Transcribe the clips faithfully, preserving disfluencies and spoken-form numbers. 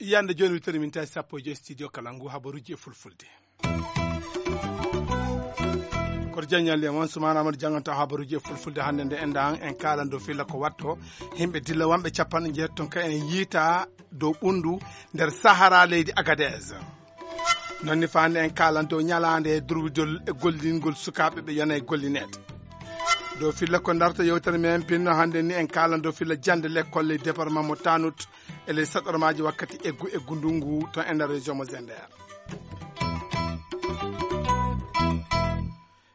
Yande jooni wittori min tawi sappo e joyi studio kala ngu habaruji e fulfulde. Koto jaññalli e mon Sumaana Amadou janganta habaruji e fulfulde hannde nde enda en en kaalan dow filla ko watto yimɓe dilla wonɓe capanɗe jeetati ton ka en yiita dow ɓunndu nder Sahara leydi Agadez. Noon ni faande en kaalan dow ñalaande durwidol e gollingol sukaaɓe ɓe yona e gollineede. Dow filla ko darta yewtere men pinno hannde ni en kaalan dow filla jannde lekkol e département mo Tanut e ley saɗormaaji wakkati eggu eggu ndungu to e nder région mo Zender.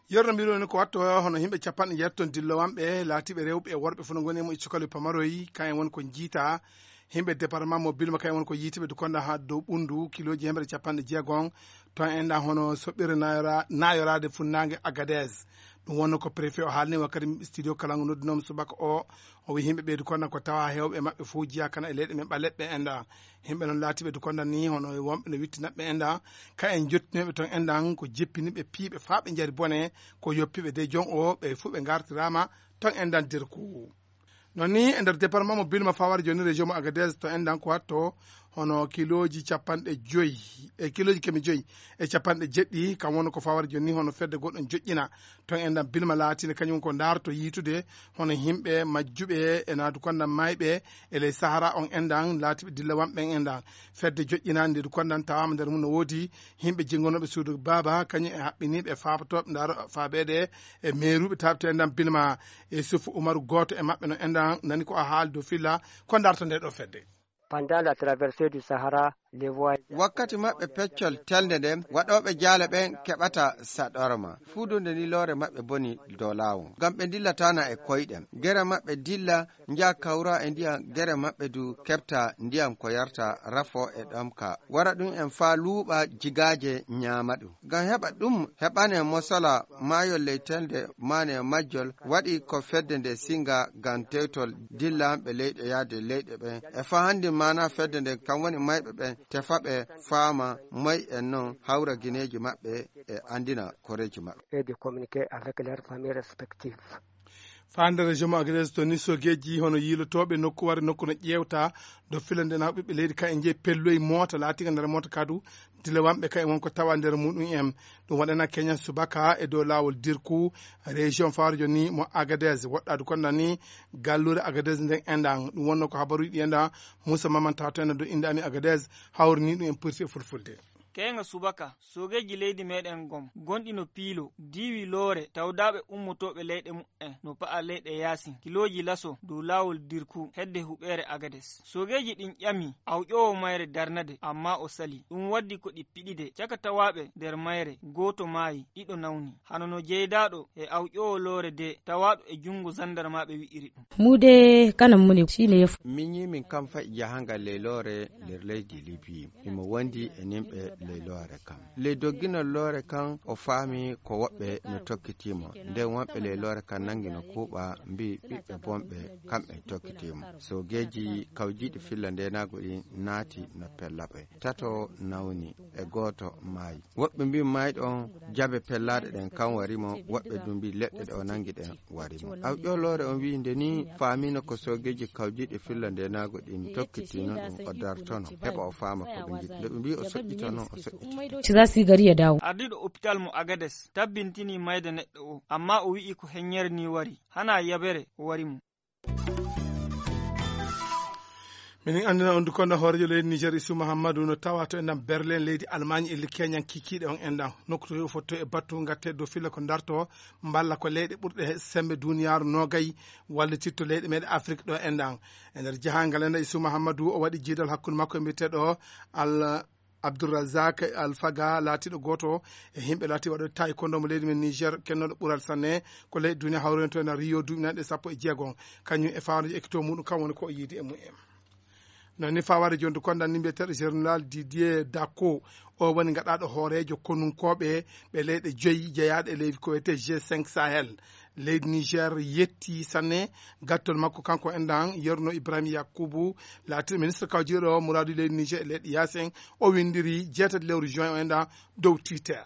Yerno mbiɗo ni ko watto hono yimɓe capanɗe jeetati ton dillowanɓe laatiiɓe rewɓe e worɓe fof no ngoni e mo e cukali pamaroy kayen won ko jiita yimɓe département mo bilma kayen won ko yiitiɓe du konda ha dow ɓundu kiloji hemre capanɗe jeegon ton en ɗan hono soɓɓirde nayora- nayorade funnangue Agadez. Ɗum wonno ko préfet o haalni wakkati studio kalangu noddunoma subaka o o wi yimɓe ɓeydu konda ko tawa hewɓe maɓɓe fof jiya kana e leyɗe men ɓaleɓɓe en ɗan. Yimɓe noon laatiɓe du konda ni hono wonɓe no wittinaɓe en ɗan ka en jottinoɓe ton en ɗan ko jippiniɓe piiɓe faa ɓe jari bone ko yoppiɓe de jon o ɓe fof ɓe gartirama ton en ɗan derku. Noon ni e nder département mo bilma fawar joni région mo Agadez to en ɗan ko watto hono kiloji capanɗe joyi e kiloji kemi joyi e capanɗe jeɗɗi kam wonno ko fawar joni hono fedde goɗɗon joƴƴina ton en ɗan bilma laatinde kañum ko darto yiitude hono yimɓe majjuɓe e naadu konda mayɓe e ley sahara on en ɗan laatiɓe dilla wanɓe en en ɗan fedde joƴƴinande ndu kondan tawama nder mum no woodi yimɓe jingonoɓe suudu baaba kañum e haɓɓiniɓe faabotoɓe ndaro faabeɗe e meeruɓe taabte en ɗan bilma e sufu umaru gooto e maɓɓe no en ɗan nani ko a haali dow filla ko darto nde ɗo fedde. Pendant la traversée du Sahara, les voyageurs wakkati maɓɓe peccol telde nden waɗooɓe jaale ɓen keɓata saɗorma fuudude ni loore maɓɓe boni dow laawol ngam ɓe dillatana e koyɗen gere maɓɓe dilla njaha kawra e ndiyam gere maɓɓe du keɓta ndiyam ko yarta rafo e ɗomka wara ɗum en faa luuɓa jigaaje ñaama ɗum ngam heɓa ɗum heɓane mosala maayol ley telde maane majjol waɗi ko fedde nde singa ngam tewtol dillanɓe leyɗe yaade leyɗe ɓen e faa hanndi maana fedde nde kam woni mayɓe ɓen tefa ɓe faama moy en non hawra gineeji maɓɓe e anndina koreeji maɓɓe. Et de communiquer avec leurs familles respectives. Faande région mo Agadez to ni sogeji hono yiilotooɓe nokku wari nokku no ƴeewta do filande na ɓiɓɓe leydi ka e jeyi pelloyi moota laatiga nder moota kadu dilewanɓe ka e won ko tawa nder muɗum en ɗum waɗana keña subaka e dow laawol dirku région fawre joni mo Agadez woɗɗaadu kon nani gallure Agadez nden endan ɗum wonno ko habaruji ɗi endan Moussa Mamanta to enen do innde amin Agadez hawrini ɗum en pirti e fulfulde. Keeŋa subaka, soogeeji leydi meeɗen gom, gonɗi no Piilo, diiwi Loore, tawdaaɓe ummotooɓe leyɗe muɓɓen no pa'a leyɗe yaasin, kilooji laso dow laawol Dirku, hedde huɓeere Agades. Soogeeji ɗin ƴami awƴoowo mayre darnade, ammaa o salii. Ɗum waddi ko ɗi piɗide. Caka tawaaɓe nder mayre, gooto maayi, ɗiɗo nawni. Hano no jeydaaɗo e awƴoowo Loore de, tawaaɗo e junngo sandarmaaɓe wi'iri ɗum. Muude kanan mu ne shi ne ya fi. Min yi min kam fa'i jahangal ley Loore nder leydi Libi. Himo wondi e nimɓe ley Loore kam. Ley dogginol Loore kam o faami ko woɓɓe no tokkitii mo. Nden wonɓe ley Loore kam nangi no kuuɓa mbii ɓiɓɓe bonɓe kamɓe tokkitii mo. Soogeeji kawjiiɗi filla ndeenaagu ɗin naati no pella ɓe. Tato nawni e gooto maayi. Woɓɓe mbii maayɗo on jabe pellaaɗe ɗen kan wari mo, woɓɓe du mbii leɗɗe ɗe o nangi ɗen wari mo. Awƴoo Loore on wii nde nii faamiino ko soogeeji kawjiiɗi filla ndeenaagu ɗin tokkitii non ɗum o dartono, heɓa o faama ko ɓe ngiɗi. Nde ɓe mbii o soƴƴita non, o soƴƴiti. Ci za su yi gari ya dawo. Ardiiɗo opitaal mo Agades tabbintinii mayde neɗɗo o, ammaa o wi'i ko heññere nii wari, hanaa yabere wari mo. Minin anndina on du konda hooreejo leydi Niger Isu Mahammadu no tawa to enɗan Berlin leydi Allemagne e likkeñan kikiiɗe on enɗan nokku to yo fotto e battu ngatte dow filla ko darto mballa ko leyɗe ɓurɗe he sembe duniyaaru nogay wallititto leyɗe meɗe Afrique ɗo enɗan e nder jahangal enɗan Isu Mahammadu o waɗi jiidal hakkunde makko e mbiyeteɗo Al Abdourazak Alfaga laatiiɗo gooto e yimɓe laatiiɓe waɗooɓe taekwondo mo leydi men Niger kennooɗo ɓural sanne ko leyɗe duniya hawroyno to ena Rio duuɓi nanɗe sappo e jeegom kañum e fawaade ekkito muɗum kam woni ko o yiidi e mumen. Noon ni fawaade jonde konda ni mbiyeteeɗo général Didier Dacko o woni gaɗaaɗo hooreejo konunkooɓe ɓe leyɗe joyi jeyaaɗe e leydi ko wiyetee G cinq Sahel. Leydi Niger yetti sanne gattol makko kanko enɗan Yerno Ibrahim Yakubu laatiiɗo ministre kawjiiɗo muraadu leydi Niger e leyɗe yaasen o winndiri jeetati lewru juin o enɗan dow Twitter.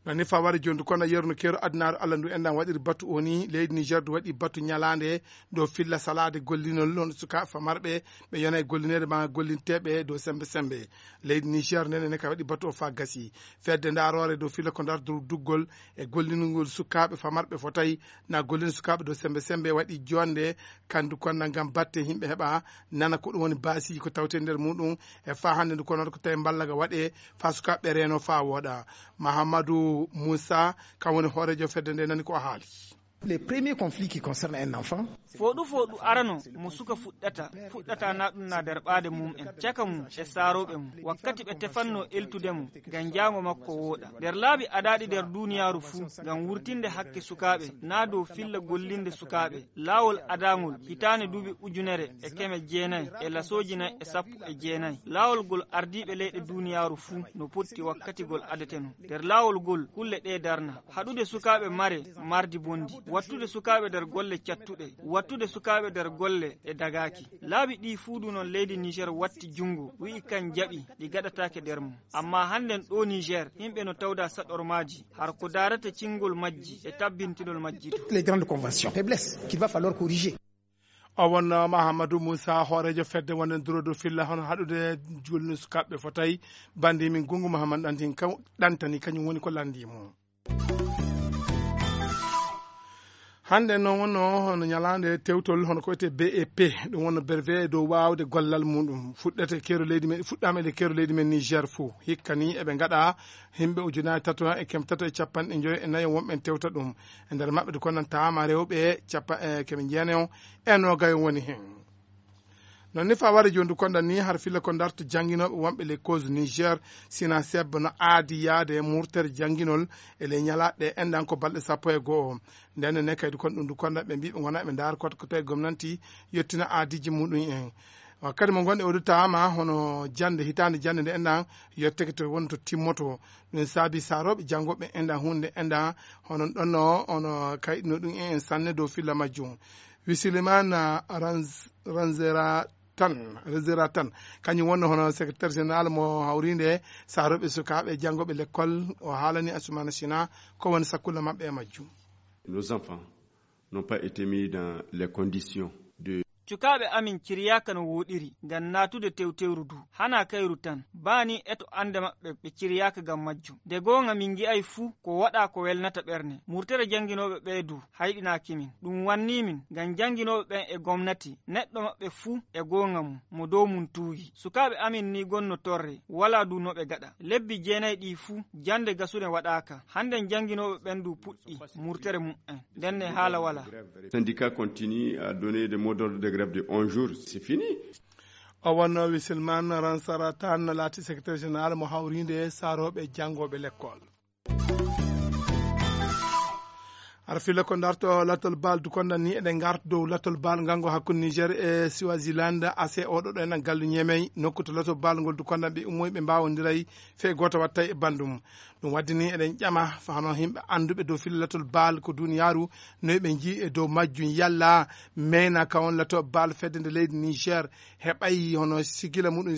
No ni fawari jooni, kono yerno keero adunaaru Allah ndu enɗan waɗiri batu o ni, leydi Niger du waɗi batu ñalaande dow filla salaade gollinol on sukaaɓe famarɓe ɓe yona e gollineede ma gollinteeɓe dow sembe sembe. Leydi Niger nene ne ka waɗi batu o faa gasi. Fedde ndaaroore dow filla ko ndarturu duggol e gollingol sukaaɓe famarɓe fotay na gollin sukaaɓe dow sembe sembe waɗi jonde kandu konna ngam batte yimɓe heɓa nana ko ɗum woni baasiiji ko tawte nder muɗum e faa hannde ndu kono ko tawi mballaga waɗe faa sukaaɓe reeno faa wooɗa. Mahamadou Moussa, kam woni hooreejo fedde nde, nani ko o haali. Les premiers conflits qui concernent un enfant, fooɗu fooɗu arano mo suka fuɗɗata fuɗɗata na ɗum na nder ɓaade mum en caka mum e saarooɓe mum wakkati ɓe tefanno eltude mo ngam jaango makko wooɗa nder laabi adaaɗi nder duuniyaaru fuu ngam wurtinde hakke sukaaɓe na dow filla gollinde sukaaɓe laawol adangol hitaande duuɓi ujunere e keme jeenayi e lasooji nayi e sappo e jeenayi laawol ngol ardiiɓe leyɗe duuniyaaru fuu no potti wakkati ngol adeteno nder laawol ngol kulle ɗee darna haɗude sukaaɓe mare mardi bondi wattude sukaaɓe nder golle cattuɗe wattude sukaaɓe nder golle ɗe dagaaki laabi ɗii fuu du noon leydi niger watti junngo wi'i kan jaɓi ɗi gaɗataake nder mum amma hannden ɗo niger yimɓe no tawda saɗormaaji har ko daarata cingol majji e tabbintinol majji du les grandes conventions faiblesse qu'il va falloir corriger. O wonno Mahamadou Moussa, hooreejo fedde wonden durodo filla hono haɗude julni sukaaɓe fotay. Bandi min Gungu Mahamad ɗantin kaw ɗantani kañum woni ko landi mum. Hannde noon wonno hono ñalaande tewtol hono ko wiyetee B E P, ɗum wonno brevet dow waawde gollal muɗum fuɗɗete keero leydi men fuɗɗaama e keero leydi men Niger fof hikka ni eɓe ngaɗa yimɓe ujunaaji tato e keme tato e capanɗe njoyo e nayo wonɓe tewta ɗum. E nder maɓɓe ko noon taama rewɓe capa e keme jeenayo e nogayo woni heen. Noon ni faware jooni du konda ni har filla ko darto jannginooɓe wonɓe les causes Niger sina sebbo no aadi yaade e murtere jannginol e ley ñalaaɗe enɗan ko balɗe sappo e go'o. Nden ne kaydi kon ɗum du konda ɓe mbiɓe ngona ɓe ndaar kot ko tawi gomnanti yettina aadiji muɗum en. Kadi mo gonɗe o du taama hono jannde hitaande jannde nde enɗan yetteke to won to timmoto. Ɗum saabi saarooɓe janngooɓe enɗan huunde enɗan hono ɗonno ono kayɗino ɗum en sanne dow filla majjum. Wisilimana ranzera tan rezera tan kañum wonno hono secrétaire général mo hawrinde saroɓe sukaɓe janngoɓe l'école o haalani asumana sina ko woni sakkulla maɓɓe e majjum. Nos enfants n'ont pas été mis dans les conditions de. Cukaaɓe amin ciryaaka no wooɗiri ngam naatude tewtewru du hanaa kayru tan baa nii eto annde maɓɓe ɓe ciryaaka ngam majjum. De goonga min ngi'ay fuu ko waɗaa ko welnata ɓerne murtere jannginooɓe ɓee du. Hayɗinaaki min ɗum wannii min ngam jannginooɓe ɓen e gomnati neɗɗo maɓɓe fuu e goonga mum mo dow mum tuugi sukaaɓe amin nii gonno torre walaa du no ɓe gaɗa lebbi jeenay ɗii fuu jannde gasune waɗaaka hannden jannginooɓe ɓen du puɗɗi murtere mum'en ndenne haala walaa. Syndicat continue à donner des mots d'ordre de grève de onze jours c'est fini. O wonno wisilman ransara tan laati secrétaire général mo hawrinde saarooɓe janngooɓe lekkol. Aɗa filla ko darto latol bal du konda ni eɗen garta dow latol bal ngango hakkunde niger e swaziland ase oɗo ɗo enen gallu ñemey nokku to latol bal ngol du konda ɓe ummoy ɓe mbawodiray fee goto watta e bandum. Ɗum waddi ni eɗen ƴama fa hono yimɓe anduɓe dow filla latol bal ko duniyaru noy ɓe jii e dow majjum yalla meyna ka on latol bal fedde nde leydi niger heɓay hono sigila muɗum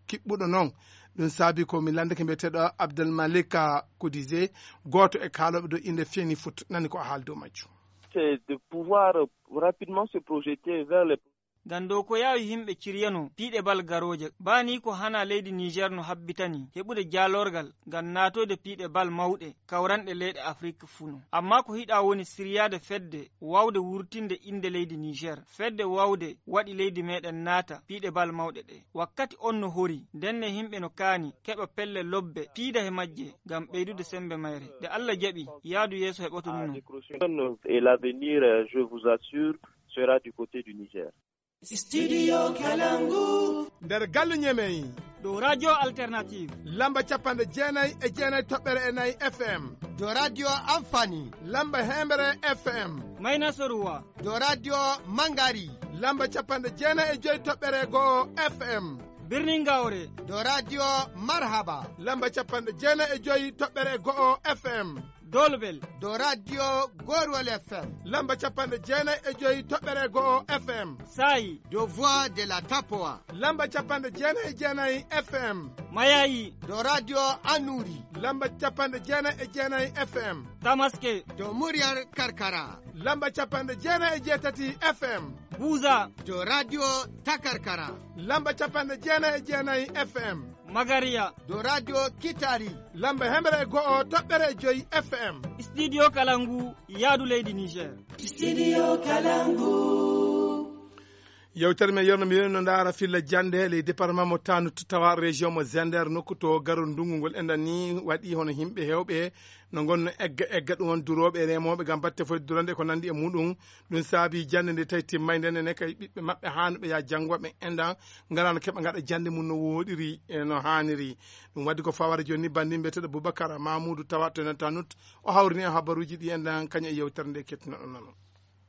kiɓɓuɗo noon. Ɗum saabi ko mi lanndake mbiyeteeɗo abdel malika kudise gooto e kaalooɓe dow innde feni foot nani ko o haali dow majjum. C'est de pouvoir rapidement se projeter vers les. Ngam dow ko yaawi yimɓe ciryano piiɗe bal garooje baa nii ko hana leydi niger no habbitani heɓude jaalorgal ngam naatoyde piiɗe bal mawɗe kawranɗe leyɗe afrik fuu no amma ko hiɗa woni siryaade fedde waawde wurtinde innde leydi niger fedde waawde waɗi leydi meɗen naata piiɗe bal mawɗe ɗe wakkati on no hori ndenne yimɓe no kaani keɓa pelle lobbe piida he majje ngam ɓeydude semmbe mayre nde allah jaɓi yaadu yeeso heɓoto nuno. Et l'avenir je vous assure sera du côté du niger. Studio Kalangu. Nder gallu ñemey. Dow radio alternative. Lamba capanɗe jeenay e jeenay toɓɓere e nayi fm. Dow radio amfani. Lamba hembere fm. Mayna soruwa. Dow radio mangari. Lamba capanɗe jeenay e joy toɓɓere go'o fm. Birni ngawre. Dow radio marhaba. Lamba capanɗe jeenay e joy toɓɓere go'o fm. Dolbel. Dow radio Gorwol F M. Lamba capanɗe jeenayi e joyi toɓɓere go'o F M. Saayi. Dow Voix de la Tapowa. Lamba capanɗe jeenayi e jeenayi F M. Mayayi. Dow radio Anuri. Lamba capanɗe jeenayi e jeenayi F M. Tamaske. Dow Muryar Karkara. Lamba capanɗe jeenayi e jeetati F M. Buza. Dow radio Takarkara. Lamba capanɗe jeenayi e jeenayi F M. Magariya. Dow radio Kitari. Lamba hemre e go'o toɓɓere e joyi F M. Studio Kalangu, yaadu leydi Niger. Studio Kalangu. Yewtere men yewno mi no ndaara filla jannde ley département mo Tanut, tawa région mo Zender, nokku to garol ndungu ngol enɗan ni waɗi hono yimɓe heewɓe no ngonno egga egga ɗum on durooɓe e remooɓe ngam batte foy durande ko nandi e muɗum. Ɗum saabi jannde nde tawi timmay nden ene kay ɓiɓɓe maɓɓe haanuɓe ya janngo ɓe enɗan ngalano keɓa ngaɗa jannde mum no woɗiri e no haaniri. Ɗum waddi ko fawara jooni ni banndi mbiyeteɗo Boubacar Mamoudou tawa to ene Tanut. O hawrini en habaruuji ɗi enɗan kañum e yewtere nde kettinoɗon nano.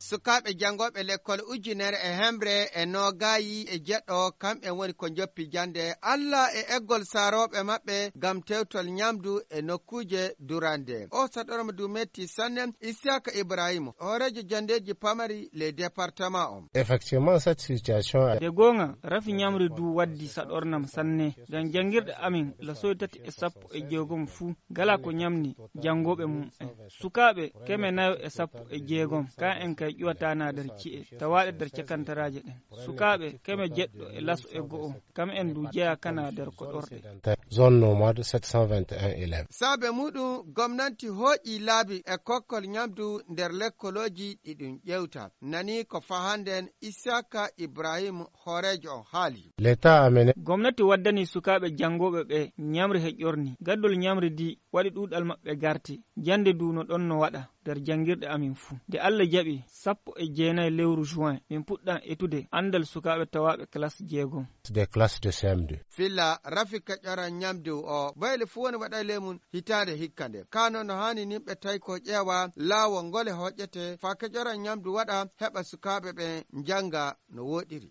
Sukaaɓe janngooɓe lekkol ujunere e hemre e noogaayi e jeɗɗo, kamɓe woni ko njoppi jannde. Alla e eggol saarooɓe maɓɓe ngam tewtol ñamdu e nokkuuje durande. O saɗorma du metti sanne. Isiyaka Ibrahima, hooreejo janndeeji pamari ley département on. Effectivement, cette situation a- De goonga, rafi ñamri du waddi saɗornam sanne. Ngam janngirɗe amin, lasoy tati e sappo e jeegom fuu, ngala ko ñamni janngooɓe mum en. Sukaaɓe keme nayo e sappo e jeegom, ka en kay ƴuwataana nder ci'e, tawaaɗe nder cakantaraaje ɗen. Sukaaɓe keme jeɗɗo e laso e go'o, kam en du jeyaa kana nder koɗorɗe. Zone nomade sept cent vingt et un élèves. Saabe muɗum, gomnanti hooƴi laabi e kokkol ñamdu nder lekkolooji ɗi ɗum ƴewta. Nani ko fahanden Isaka Ibrahim, hooreejo on haali. L'État a mené. Gomnati waddani sukaaɓe janngooɓe ɓe ñamri he ƴorni. Gaddol ñamri di waɗi ɗuuɗal maɓɓe garti. Jannde du no ɗon no waɗa nder janngirɗe amin fuu. Nde Alla jaɓi, sappo e jeenayi lewru juin, min puɗɗan etude anndal sukaaɓe tawaaɓe classe jeegom. Des classes de C M deux. Filla rafi keƴoran ñamdu o, boyle fuu woni waɗa ley mum hitaande hikka nde. Kano no haani nimɓe tawi ko ƴeewa laawol ngol e hoƴƴete faa keƴoran ñamdu waɗa heɓa sukaaɓe ɓe njannga no woɗiri.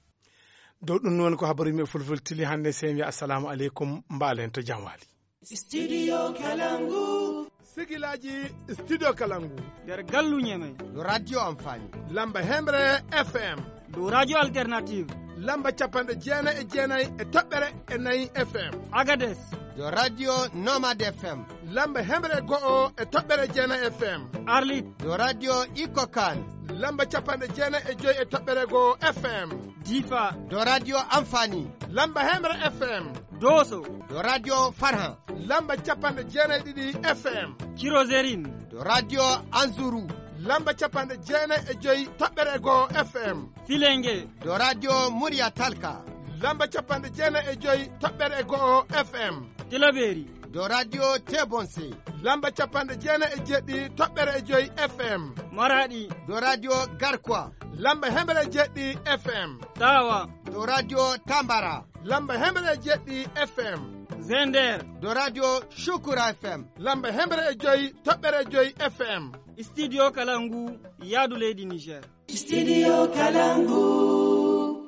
Dow ɗum noon ko habaru men fulfulde tili hannde, sey mi wiya assalamu aleykum, mbaalen to jam waali. Studio Kalangu. Sigilaaji Studio Kalangu. Nder galluuje men. Dow radio Amfani. Lamba hemre F M. Dow radio Alternative. Lamba capanɗe jeenayi e jeenayi e toɓɓere e nayi F M. Agades. Dow radio Nomade F M. Lamba hemre go'o e toɓɓere jeenayi F M. Arlit. Dow radio Iko Kan. Lamba capanɗe jeenayi e joyi e toɓɓere go'o F M. Difa. Dow radio Amfani. Lamba hemre F M. Doso. Dow radio Farhan. Lamba capanɗe jeenayi e ɗiɗi F M. Cirozerin. Dow radio Anzuru. Lamba capanɗe jeenayi e joyi toɓɓere go'o F M. Filenge. Dow radio Murya Talka. Lamba capanɗe jeenayi e joyi toɓɓere go'o F M. Tilaberi. Dow radio Tebonse. Lamba capanɗe jeenayi e jeɗɗi toɓɓere e joyi F M. Maradi. Dow radio Garkwa. Lamba hemre e jeɗɗi F M. Tawa. Dow radio Tambara. Lamba hemre e jeɗɗi F M. Zender. Dow radio Shukura F M. Lamba hemre e joyi toɓɓere e joyi F M. Studio Kalangu, yaadu leydi Niger. Studio Kalangu.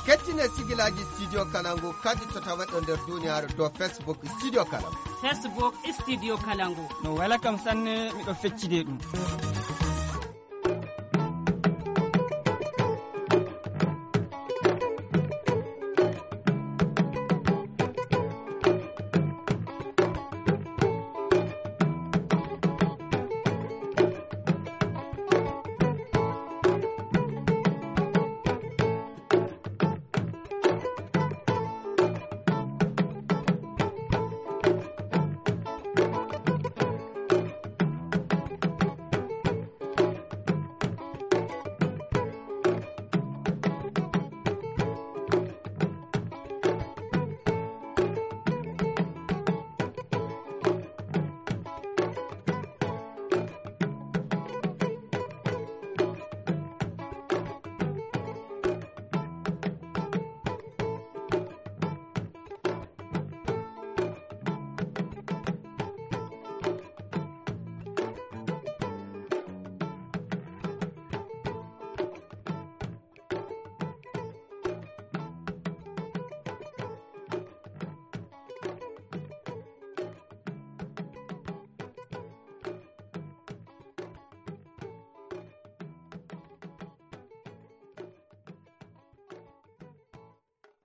Kettine sigilaaji Studio Kalangu kadi to taweɗo nder duniyaaru dow Facebook Studio Kalangu. Facebook Studio Kalangu. No wela kam sanne, miɗo feccide ɗum.